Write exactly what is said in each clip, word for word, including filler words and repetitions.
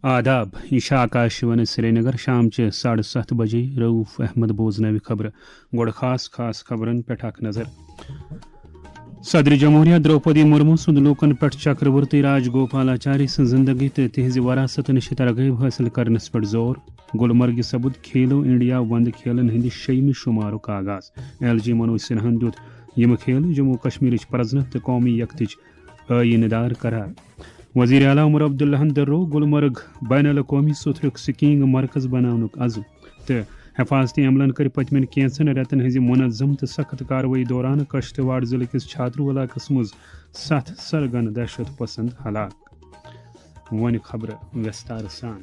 آداب، یہِ چھِ آکاشوانی سرینگر۔ شام چہِ ساڑٕ ستھ بجے رؤف احمد بوزناوِ خبرٕ۔ گۄڈٕ خاص خاص خبرن پٮ۪ٹھ اکھ نظر۔ صدر جمہوریہ درٛوپدی مرمو سُنٛد لوٗکن پٮ۪ٹھ چکرورتی راج گوپالاچاری سٕنٛز زندگی تہٕ تِہنٛزِ وراثت نِش ترغیب حٲصِل کرنس پٮ۪ٹھ زور۔ گُلمرگہِ سپُد کھیلو انڈیا وندٕ کھیلن ہٕنٛدِ شیٚیمہِ شُمارُک آغاز۔ ایل جی منوج سنہاہن دیُت یِم کھیل جموں کشمیرٕچ پرزنت تہٕ قومی یکتٕچ ٲییٖنہٕ دار قرار۔ وزیر اعلیٰ عمر عبداللہن دٔرو گلمرگ بین الاقوٲمی سوٚتھرُک سکیئنگ مرکز بناونُک عزم تہٕ حفاظتی عملن کٔر پٔتمٮ۪ن کینٛژن رٮ۪تن ہٕنٛزِ منظم تہٕ سخت کاروٲیی دوران کشتواڑ ضلعہٕ کِس چھاترو علاقس منٛز ستھ سرگن دہشت پسند ہلاک۔ وۄنۍ خبرٕ وستار سان۔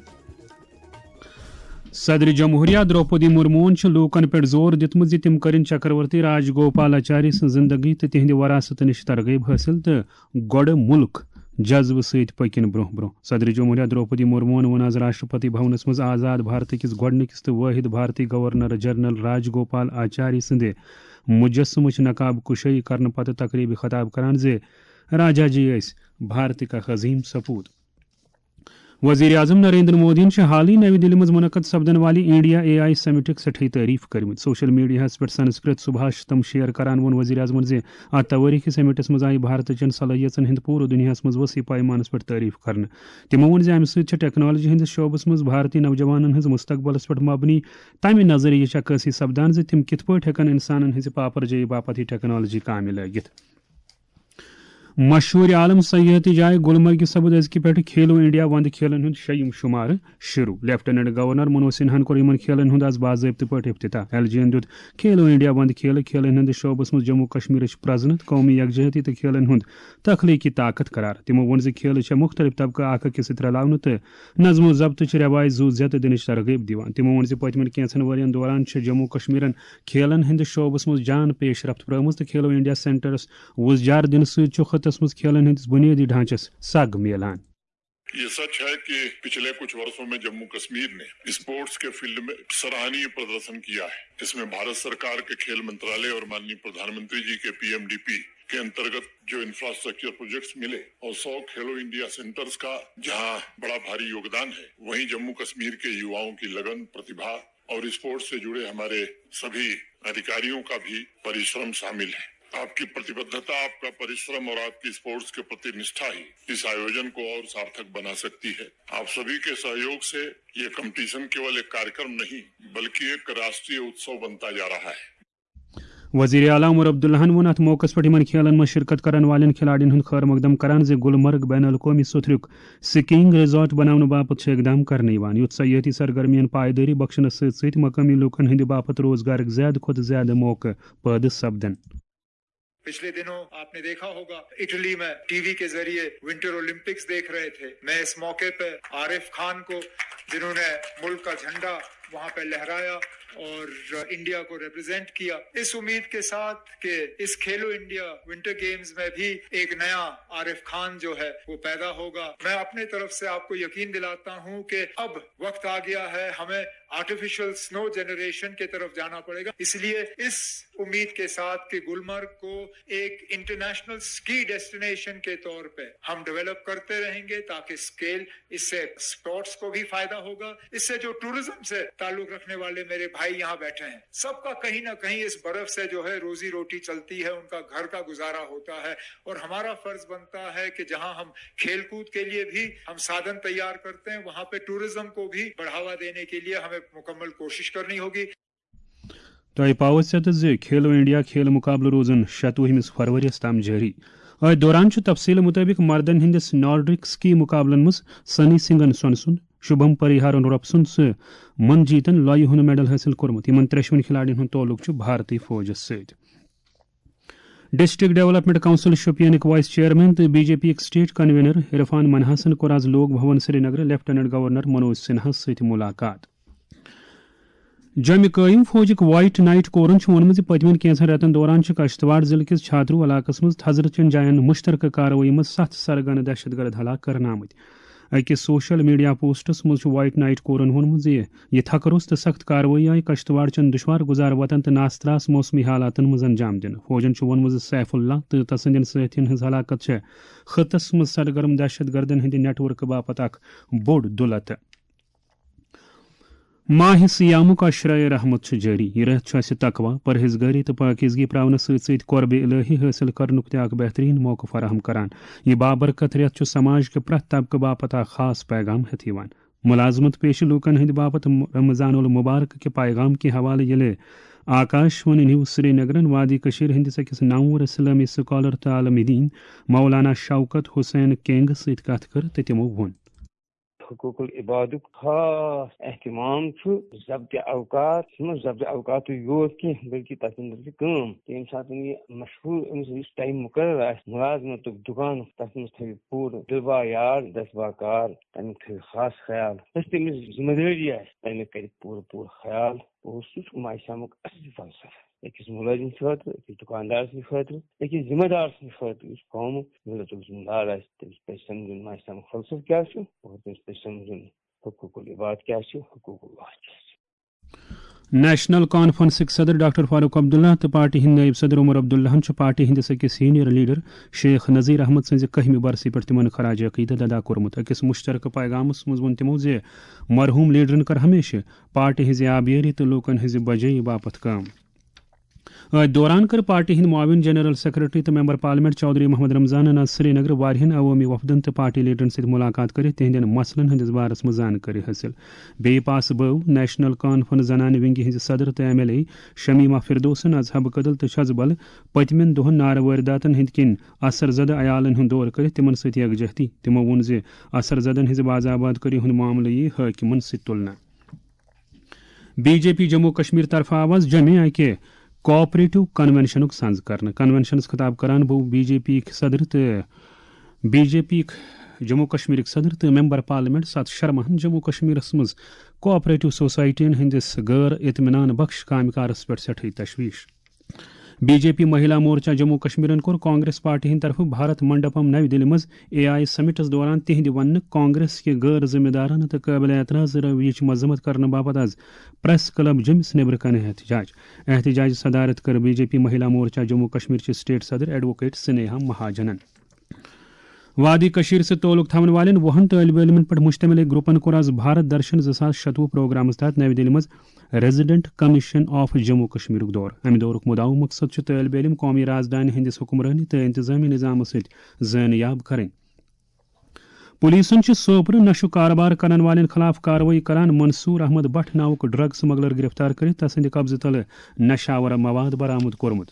صدر جمہوریہ درٛوپدی مرموہن چھُ لوٗکن پٮ۪ٹھ زور دیُتمُت زِ تِم کٔرِن چکرورتی راج گوپالاچاری سٕنٛز زندگی تہٕ تِہنٛدِ وراثت نِش ترغیب حٲصِل تہٕ گۄڈٕ مُلک جذبہٕ سۭتۍ پٔکِن برٛونٛہہ برٛونٛہہ۔ صدر جمہوریہ درٛوپدی مرموہن ووٚن آز راشٹرپتی بھونس منٛز آزاد بھارتہٕ کِس گۄڈٕنِکِس تہٕ وٲحد بھارتی گورنر جنرل راج گوپال آچاری سٕنٛدِ مجسمٕچ نقاب کشٲیی کرنہٕ پتہٕ تقریبہِ خطاب کران زِ راجا جی ٲسۍ بھارتٕکۍ اکھ عظیم سپوت۔ وزیر اعظم نریندر مودیَن چھِ حالٕے نَوِ دِلہِ منٛز منعقد سپدن والہِ انڈیا اے آئی سمٹٕک سٮ۪ٹھٕے تعریف کٔرمٕژ۔ سوشل میڈیاہَس پٮ۪ٹھ سنسکرت سبھاشتم شیئر کران ووٚن وزیر اعظمَن زِ اتھ توٲریخی سمٹس منٛز آیہِ بھارتٕچٮ۪ن صلٲحیژن ہٕنٛد پوٗرٕ دُنیاہَس منٛز وسیع پیمانس پٮ۪ٹھ تعریف کرنہٕ۔ تِمو ووٚن زِ امہِ سۭتۍ چھِ ٹیکنالوجی ہٕنٛدِس شعبس منٛز بھارتی نوجوانن ہٕنٛز مستقبلس پٮ۪ٹھ مبنی تمہِ نظریہٕچ عکٲسی سپدان زِ تِم کِتھ پٲٹھۍ ہٮ۪کن انسانن ہٕنٛزِ پاپرجٲیی باپتھ یہِ ٹیکنالوجی کامہِ لٲگِتھ۔ مشہوٗر عالم سیاحتی جاے گلمرگہِ سپُد أزکہِ پٮ۪ٹھٕ کھیلو انڈیا وندٕ کھیلن ہُنٛد شیٚیِم شُمارٕ شروع۔ لیفٹیننٹ گورنر منوج سنہاہن کوٚر یِمن کھیلن ہُنٛد آز باضٲبطہٕ پٲٹھۍ افتتاح۔ ایل جی یَن دیُت کھیلو انڈیا وندٕ کھیلہٕ کھیلن ہٕنٛدِس شعبس منٛز جموں کشمیرٕچ پرزنت، قومی یکجہتی تہٕ کھیلن ہُنٛد تخلیقی طاقت قرار۔ تِمو ووٚن زِ کھیلہٕ چھےٚ مُختٔلِف طبقہٕ اکھ أکِس سۭتۍ رلاونہٕ تہٕ نظم و ضبطٕچ رٮ۪وایہِ زُو زیتہٕ دِنٕچ ترغیب دِوان۔ تِمو ووٚن زِ پٔتمٮ۪ن کینٛژن ؤرین دوران چھِ جموں کشمیرن کھیلن ہٕنٛدِس شعبس منٛز جان پیش رفت پرٲومٕژ تہٕ کھیلو انڈیا سینٹرس وُزجار دِنہٕ سۭتۍ چھُ خطس منٛز کھیلن ہٕنٛدِس بُنیٲدی ڈھانچس سگ میلان۔ یہ سچ ہے کہ پچھلے کچھ برسوں میں جموں کشمیر نے اسپورٹس کے فیلڈ میں سراہنیہ پردرشن کیا ہے۔ اس میں بھارت سرکار کے کھیل منترالیہ اور ماننی پردھان منتری جی کے پی ایم ڈی پی کے انترگت جو انفراسٹرکچر پروجیکٹس ملے اور سو کھیلو انڈیا سینٹرز کا جہاں بڑا بھاری یوگدان ہے، وہیں جموں کشمیر کے یواؤں کی لگن، پرتیبھا اور اسپورٹس سے جڑے ہمارے سبھی ادھیکاریوں کا بھی پریشرم شامل ہے۔ آپ کی پرتیبدھتا، آپ کا پریشرم اور آپ کی اسپورट्स के प्रति निष्ठा ही इस आयोजन को और सार्थक बना सकती है। आप सभी के सहयोग से ये कंपटीशन केवल एक कार्यक्रम नहीं, बल्कि एक राष्ट्रीय उत्सव बनता जा रहा है। وزیر اعلیٰ عمر عبداللہن ووٚن اتھ موقعس پٮ۪ٹھ یِمن کھیلن منٛز شرکت کرن والٮ۪ن کھلاڑین ہُنٛد خٲر مقدم کران زِ گلمرگ بین الاقوٲمی سوٚتھرُک سکیئنگ ریزارٹ بناونہٕ باپتھ چھِ اقدام کرنہٕ یِوان، یُتھ سیٲحتی سرگرمین پائیدٲری بخشنس سۭتۍ سۭتۍ مقٲمی لوٗکن ہٕنٛدِ باپتھ روزگارٕکۍ زیادٕ کھۄتہٕ زیادٕ موقعہٕ پٲدٕ سپدن۔ پچھلے دنوں آپ نے دیکھا ہوگا، اٹلی میں ٹی وی کے ذریعے ونٹر اولمپکس دیکھ رہے تھے۔ میں اس موقع پہ عارف خان کو، جنہوں نے ملک کا جھنڈا وہاں پہ لہرایا اور انڈیا کو ریپرزینٹ کیا، اس امید کے ساتھ کہ اس کھیلو انڈیا ونٹر گیمز میں بھی ایک نیا عارف خان جو ہے وہ پیدا ہوگا۔ میں اپنے طرف سے آپ کو یقین دلاتا ہوں کہ اب وقت آ گیا ہے ہمیں آرٹیفیشل سنو جنریشن کی طرف جانا پڑے گا۔ اس لیے اس امید کے ساتھ کہ گلمرگ کو ایک انٹرنیشنل اسکی ڈیسٹینیشن کے طور پہ ہم ڈیولپ کرتے رہیں گے، تاکہ اسکیل، اس سے اسپورٹس کو بھی فائدہ ہوگا، اس سے جو ٹورزم سے تعلق رکھنے والے میرے بھائی یہاں بیٹھے ہیں، سب کا کہیں نہ کہیں اس برف سے جو ہے روزی روٹی چلتی ہے، ان کا گھر کا گزارا ہوتا ہے، اور ہمارا فرض بنتا ہے کہ جہاں ہم کھیل کود کے لیے بھی ہم سادھن تیار کرتے ہیں، وہاں پہ ٹورزم کو بھی بڑھاوا دینے کے لیے ہمیں مکمل کوشش کرنی ہوگی۔ تۄہہِ پاوو ژےٚ تہٕ زِ کھیلو انڈیا کھیل مقابلہٕ روزن شتوُہمِس فرؤریَس تام جٲری۔ أتھۍ دوران چھُ تفصیلہٕ مُطٲبِق مردن ہٕنٛدِس نارڈک سکی مقابلن منٛز سنی سنگھن سۄنہٕ سُنٛد، شُبھم پریہارن رۄپہٕ سُنٛد تہٕ منجیتن لۄیہِ ہُنٛد میڈل حٲصِل کوٚرمُت۔ یِمن ترٛٮ۪شوٕنی کھلاڑین ہُنٛد تعلق چھُ بھارتی فوجس سۭتۍ۔ District development council شوپینٕکۍ vice chairman تہٕ بی جے پی یٕکۍ اسٹیٹ کنوینر عرفان منہاسن کوٚر آز لوک بھون سرینگر لیفٹیننٹ گورنر منوج سنہاہس سۭتۍ ملاقات۔ جوٚمہِ قٲیِم فوجٕکۍ وائٹ نائٹ کورن چھُ ووٚنمُت زِ پٔتمٮ۪ن کینٛژن رٮ۪تن دوران چھِ کشتواڑ ضلعہٕ کِس چھاترو علاقس منٛز تھزرٕ چٮ۪ن جاین مُشترکہٕ کاروٲیی منٛز ستھ سرگنہٕ دہشت گرد ہلاک کرنہٕ آمٕتۍ۔ أکِس سوشل میڈیا پوسٹس منٛز چھُ وائٹ نائٹ کورن ووٚنمُت زِ یہِ تھکہٕ روٚس تہٕ سخت کاروٲیی آیہِ کشتواڑ چٮ۪ن دُشوار گُزار وطن تہٕ ناستراس موسمی حالاتن منٛز انجام دِنہٕ۔ فوجن چھُ ووٚنمُت زِ سیف اللہ تہٕ تسٕنٛدٮ۪ن سٲتھین ہٕنٛز ہلاکت چھےٚ خطس منٛز سرگرم دہشت گردن ہٕنٛدِ نیٹ ورکہٕ باپتھ اکھ بوٚڑ دُلتہٕ۔ ماہِ صیامُک عشرائے رحمت چھُ جٲری۔ یہِ رٮ۪تھ چھُ اَسہِ تقویٰ، پرہیزگٲری تہٕ پٲکیزگی پراونہٕ سۭتۍ سۭتۍ قربِ الہی حٲصِل کرنُک تہِ اکھ بہترین موقعہٕ فراہم کران۔ یہِ بابرکت رٮ۪تھ چھُ سماج کہِ پرٛٮ۪تھ طبقہٕ باپتھ اکھ خاص پیغام ہٮ۪تھ یِوان۔ ملازمت پیشہٕ لوٗکن ہٕنٛدِ باپتھ رمضان المبارک کہِ پیغام کہِ حوالہٕ ییٚلہِ آکاش وانی نیوز سرینگرن وادی کٔشیٖر ہٕنٛدِس أکِس نامور اسلٲمی سکالر تہٕ عالمِ دیٖن مولانا شوکت حسین کینگس سۭتۍ کتھ کٔر تہٕ تِمو ووٚن۔ حقوق العبادُک خاص اہتمام چھُ ضبط اوقات، چھُنہٕ ضبط اوقاتٕے یوت کینٛہہ، بلکہِ تَتھ منٛز چھِ کٲم۔ تہٕ ییٚمہِ ساتہٕ یہِ مشغوٗل، أمِس یُس ٹایم مُقرر آسہِ مُلازمتُک، دُکانُک، تَتھ منٛز تھٲوِو پوٗرٕ دِل با یاد، دَست با کار، تَمیُک تھٲوِو خاص خیال۔ یۄس تٔمِس ذمہٕ دٲری آسہِ، تَمیُک کَرِ پوٗرٕ پوٗرٕ خیال۔ اور سُہ چھُ ماہِ صیامُک اصلی فلسفہٕ۔ أکِس مُلٲزِم سٕنٛدِ خٲطرٕ، أکِس دُکاندار سٕنٛدِ خٲطرٕ، أکِس ذمہٕ دار سٕنٛدِ خٲطرٕ، یُس قومُک مِلتُک ذمہٕ دار آسہِ، تٔمِس پَزِ سَمجھُن ماہِ صیامُک فلسفہٕ کیٛاہ چھُ اور تٔمِس پَزِ سَمجھُن حقوق العباد کیٛاہ چھِ، حقوق اللہ کیٛاہ چھِ۔ نیشنل کانفرنسٕکۍ صدر ڈاکٹر فاروق عبداللہ تہٕ پارٹی ہٕنٛدۍ نٲیِب صدر عمر عبداللہَن چھُ پارٹی ہٕنٛدِس أکِس سینئر لیڈر شیخ نذیر احمد سٕنٛزِ کٔہمہِ برسہِ پٮ۪ٹھ تِمن خراج عقیدت ادا کوٚرمُت۔ أکِس مُشترکہٕ پیغامَس منٛز ووٚن تِمو زِ مرحوٗم لیڈرَن کٔر ہمیشہٕ پارٹی ہٕنٛزِ آبیٲری تہٕ لوٗکَن ہٕنٛزِ بجٲیی باپتھ کٲم۔ أتھۍ دوران کٔر پارٹی ہٕنٛدۍ معاون جنرل سیکرٹری تہٕ ممبر پارلیمنٹ چودھری محمد رمضانن آز سرینگر واریاہن عوٲمی وفدن تہٕ پارٹی لیڈرن سۭتۍ ملاقات کٔرِتھ تِہنٛدٮ۪ن مسلن ہٕنٛدِس بارس منٛز زانکٲری حٲصِل۔ بیٚیہِ پاسہٕ بٲو نیشنل کانفرنس زنانہِ ونگہِ ہٕنٛزِ صدر تہٕ ایم ایل اے شمیمہ فردوسن آز حبہٕ کدل تہٕ چھژبل پٔتمٮ۪ن دۄہن نارٕ وٲرۍداتن ہٕنٛدۍ کِنۍ اثر زدٕ عیالن ہُنٛد دورٕ کٔرِتھ تِمن سۭتۍ یکجہتی۔ تِمو ووٚن زِ اثر زدن ہٕنٛزِ باز آباد کٲری ہُنٛد معاملہٕ یِیہِ حٲکمن سۭتۍ تُلنہٕ۔ B J P Jammu Kashmir طرفہٕ آو آز جمعہ اکہِ کوآپریٹو کنونشنُک سنز کرنہٕ۔ کنونشنس خطاب کران بو بی جے پی صدر تہٕ بی جے پی جموں کشمیرٕکۍ صدر تہٕ ممبر پارلیمنٹ ستھ شرماہن جموں کشمیرس منٛز کوآپریٹو سوسائٹین ہٕنٛدِس غٲر اطمینان بخش کامہِ کارس پٮ۪ٹھ سٮ۪ٹھٕے تشویش۔ بی جے پی مہیلا مورچہ جموں کشمیرن کوٚر کانگریس پارٹی ہٕنٛدِ طرفہٕ بھارت منڈپم نَوِ دِلہِ منٛز اے آئی سمٹس دوران تِہنٛدِ وننہٕ کانگریس کہِ غٲر ذمہ دارانہٕ تہٕ قٲبلِ اعتراض رویٕچ مذمت کرنہٕ باپتھ آز پریس کلب جیمس نیبرٕ کنہِ احتجاج۔ احتجاج صدارت کٔر بی جے پی مہیلا مورچہ جموں کشمیر چہِ سٹیٹ صدر ایڈووکیٹ سنیہا مہاجنن۔ وادی کشمیر سۭتۍ تعلق تھاون والٮ۪ن وُہن طٲلبِ علمن پٮ۪ٹھ مشتمل أکۍ گروپن کوٚر آز بھارت درشن زٕ ساس شتوُہ پروگرامس تحت نَوِ دِلہِ منٛز ریزیڈنٹ کمیشن آف جموں کشمیرُک دورٕ۔ امہِ دورُک مُدعا و مقصد چھُ طٲلبِ علم قومی رازدانہِ ہٕنٛدِس حکمرٲنی تہٕ انتظامی نظامس سۭتۍ زٲنیاب کرٕنۍ۔ پولیسن چھِ سوپرٕ نشہٕ کاربار کرن والٮ۪ن خلاف کاروٲیی کران منصور احمد بٹ ناوُک ڈرگ سمگلر گرفتار کٔرِتھ تسٕنٛدِ قبضہٕ تلہٕ نشاور مواد برآمد کوٚرمُت۔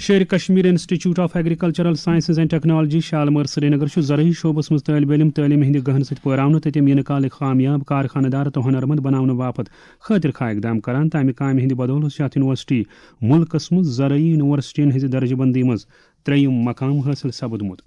Sher Kashmir institute of agricultural sciences and technology Shalimar Srinagar چھُ زرعی شعبس منٛز طٲلبِ علم تعلیٖم ہٕنٛدِ گہن سۭتۍ پٲراونہٕ تہٕ تِم یِنہٕ کالٕکۍ کامیاب کارخانہٕ دار تہٕ ہُنرمند بناونہٕ باپتھ خٲطرٕ خواہ اقدام کران تہٕ امہِ کامہِ ہٕنٛدِ بدولہٕ چھِ اتھ یونیورسٹی مُلکس منٛز زرعی یونیورسٹین ہٕنٛزِ درجہٕ بندی منٛز ترٛیٚیِم مقام حٲصِل سپُدمُت۔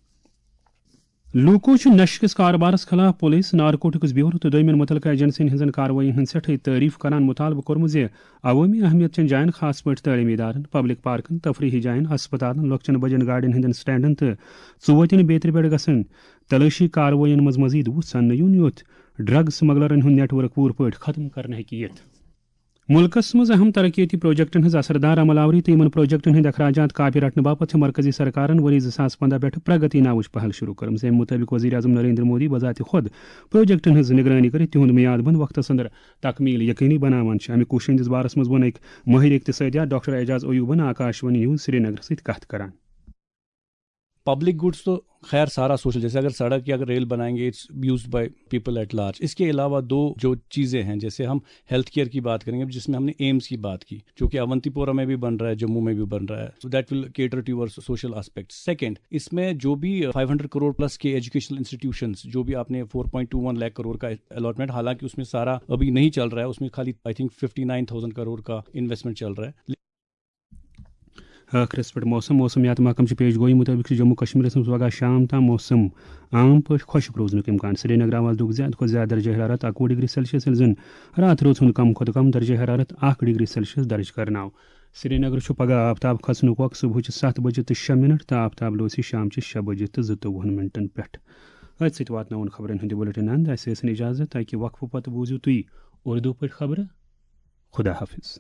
لوٗکو چھُ نشہٕ کِس کاربارس خلاف پولیس، نارکوٹکس بیورو تہٕ دوٚیمٮ۪ن مُتعلقہٕ ایجنسین ہٕنٛزن کاروٲیی ہٕنٛز سٮ۪ٹھٕے تعریف کران مُطالبہٕ کوٚرمُت زِ عوٲمی اہمیت چٮ۪ن جاین، خاص پٲٹھۍ تعلیمی ادارن، پبلک پارکن، تفریحی جاین، ہسپتالن، لۄکچٮ۪ن بجن گاڑٮ۪ن ہٕنٛدٮ۪ن سٹینڈن تہٕ ژوتٮ۪ن بیترِ پٮ۪ٹھ گژھن تلٲشی کاروٲیین منٛز مزید وُژھ اننہٕ یُن، یُتھ ڈرگ سمگلرن ہُنٛد نیٹ ورک پوٗرٕ پٲٹھۍ ختم کرنہٕ ہیٚکہِ یِتھ۔ مُلکَس منٛز اہم ترقیتی پروجیکٹَن ہٕنٛز اثر دار عمل آوری تہٕ یِمَن پروجیکٹَن ہٕنٛدۍ اخراجات کاپہِ رٹنہٕ باپتھ چھِ مرکزی سرکارَن ؤری زٕ ساس پنٛداہ پٮ۪ٹھ پرگتی ناوٕچ پہل شروع کٔرمٕژ۔ اَمہِ مُطٲبِق وزیر اعظم نریندر مودی بذات خود پروجیکٹَن ہٕنٛز نگرٲنی کٔرِتھ تِہُنٛد میعاد بند وقتَس اندر تکمیل یقینی بناوان چھِ۔ اَمہِ کوٗشِش ہٕنٛدِس بارَس منٛز ووٚن أکۍ مٲہِر اقتصٲدیات ڈاکٹر اعجاز ایوبَن آکاشوانی نیوز سرینگرَس سۭتۍ کتھ کران۔ پبلک گڈس تو خیر سارا سوشل، جیسے اگر سڑک یا اگر ریل بنائیں گے، it's used by people at large. اس کے علاوہ دو جو چیزیں ہیں، جیسے ہم ہیلتھ کیئر کی بات کریں گے، جس میں ہم نے ایمس کی بات کی، جو کہ اونتی پورہ میں بھی بن رہا ہے، جموں میں بھی بن رہا ہے، so that will cater to your social aspect. Second, اس میں جو بھی فائیو ہنڈریڈ کروڑ پلس کے ایجوکیشنل انسٹیٹیوشنز، جو بھی آپ نے فور پوائنٹ ٹو ون لاکھ کروڑ کا الاٹمنٹ، حالانکہ اس میں سارا ابھی نہیں چل رہا ہے، اس میں خالی I think fifty nine thousand crore کا انویسٹمنٹ چل رہا ہے. ٲخرس پٮ۪ٹھ موسم۔ موسمیات محکمہٕ چہِ پیش گویی مُطٲبِق چھُ جموں کشمیرس منٛز پگہہ شام تام موسم عام پٲٹھۍ خۄشک روزنُک امکان۔ سرینگرٕ آو آز دۄہُک زیادٕ کھۄتہٕ زیادٕ درجہ حرارت اَکوُہ ڈگری سیلسیس، ییٚلہِ زن راتھ روز ہُنٛد کم کھۄتہٕ کم درجہ حرارت اکھ ڈگری سیلسیس درج کرنہٕ آو۔ سرینگر چھُ پگہہ آفتاب کھسنُک وقت صبحٕچہِ ستھ بجہِ تہٕ شےٚ منٹ تہٕ آفتاب لوسی شامچہِ شےٚ بجہِ تہٕ زٕتووُہن منٹن پٮ۪ٹھ۔ أتھۍ سۭتۍ واتناوون خبرن ہُنٛد یہِ بُلٹن اند۔ اسہِ ٲسِن اجازت، تاکہِ وقفہٕ پتہٕ بوٗزِو تُہۍ اردو پٲٹھۍ خبرٕ۔ خدا حافظ۔